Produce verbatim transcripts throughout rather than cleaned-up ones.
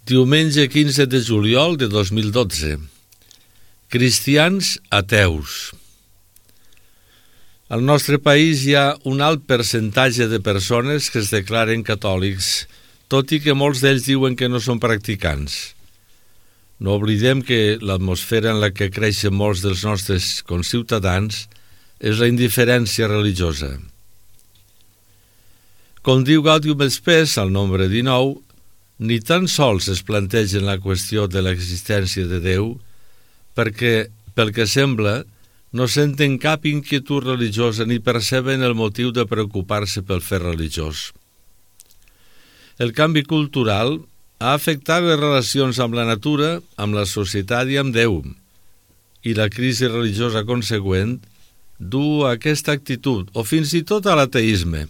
Diumenge quinze de juliol de dos mil dotze. Cristians ateus. Al nostre país hi ha un alt percentatge de persones que es declaren catòlics, tot i que molts d'ells diuen que no són practicants. No oblidem que l'atmosfera en la que creixen molts dels nostres conciutadans és la indiferència religiosa. Com diu Gaudium et Spes al nombre dinou, ni tan sols es plantegen la qüestió de l'existència de Déu perquè, pel que sembla, no senten cap inquietud religiosa ni perceben el motiu de preocupar-se pel fet religiós. El canvi cultural ha afectat les relacions amb la natura, amb la societat i amb Déu, i la crisi religiosa consegüent du a aquesta actitud, o fins i tot a l'ateisme,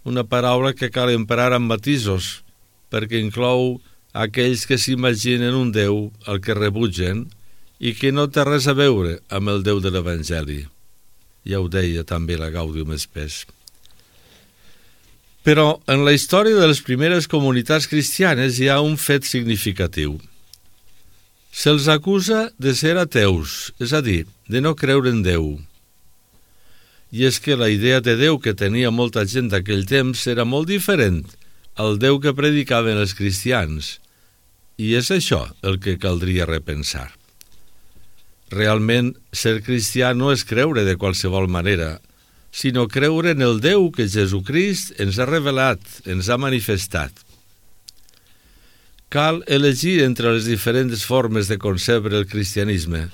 una paraula que cal emprar amb matisos, perquè inclou aquells que s'imaginen un Déu al que rebutgen i que no té res a veure amb el Déu de l'Evangeli. Ja ho deia també la Gaudium et Spes. Però en la història de les primeres comunitats cristianes hi ha un fet significatiu. Se'ls acusa de ser ateus, és a dir, de no creure en Déu. I és que la idea de Déu que tenia molta gent d'aquell temps era molt diferent al Déu que predicaven els cristians, i és això el que caldria repensar. Realment, ser cristià no és creure de qualsevol manera, sinó creure en el Déu que Jesucrist ens ha revelat, ens ha manifestat. Cal elegir entre les diferents formes de concebre el cristianisme,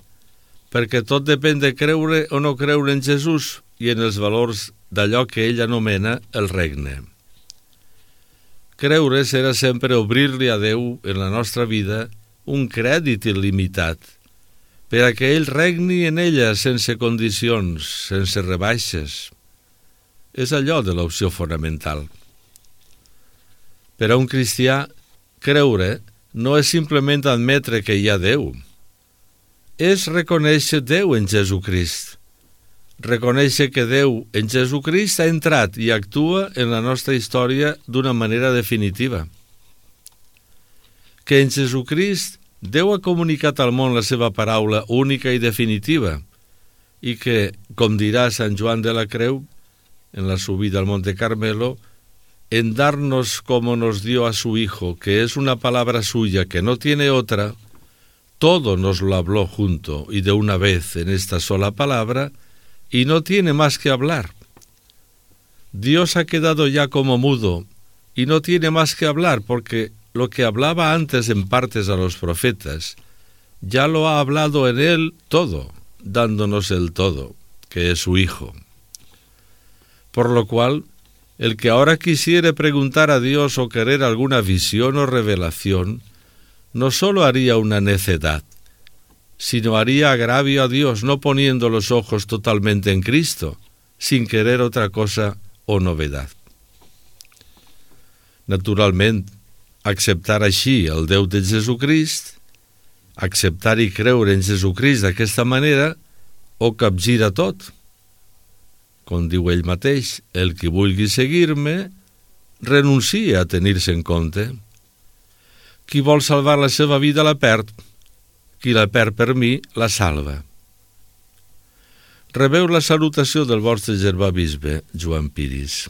perquè tot depèn de creure o no creure en Jesús i en els valors d'allò que ell anomena el regne. Creure serà sempre obrir-li a Déu en la nostra vida un crèdit il·limitat, per a que ell regni en ella sense condicions, sense rebaixes. És allò de l'opció fonamental. Per a un cristià, creure no és simplement admetre que hi ha Déu. És reconèixer Déu en Jesucrist. Reconèixer que Déu en Jesucrist ha entrat i actua en la nostra història d'una manera definitiva. Que en Jesucrist Déu ha comunicat al món la seva paraula única i definitiva i que, com dirà Sant Joan de la Creu, en la subida al Monte Carmelo, en darnos como nos dio a su Hijo, que es una palabra suya que no tiene otra, todo nos lo habló junto y de una vez en esta sola palabra, y no tiene más que hablar. Dios ha quedado ya como mudo y no tiene más que hablar porque lo que hablaba antes en partes a los profetas, ya lo ha hablado en él todo, dándonos el todo, que es su Hijo. Por lo cual, el que ahora quisiere preguntar a Dios o querer alguna visión o revelación, no solo haría una necedad, sino haría agravio a Dios no poniendo los ojos totalmente en Cristo, sin querer otra cosa o novedad. Naturalment, acceptar així el Déu de Jesucrist, acceptar i creure en Jesucrist d'aquesta manera, ho capgira tot. Com diu ell mateix, el qui vulgui seguir-me, renuncia a tenir-se en compte. Qui vol salvar la seva vida la perd, qui la perd per mi la salva. Rebeu la salutació del vostre germà bisbe, Joan Piris.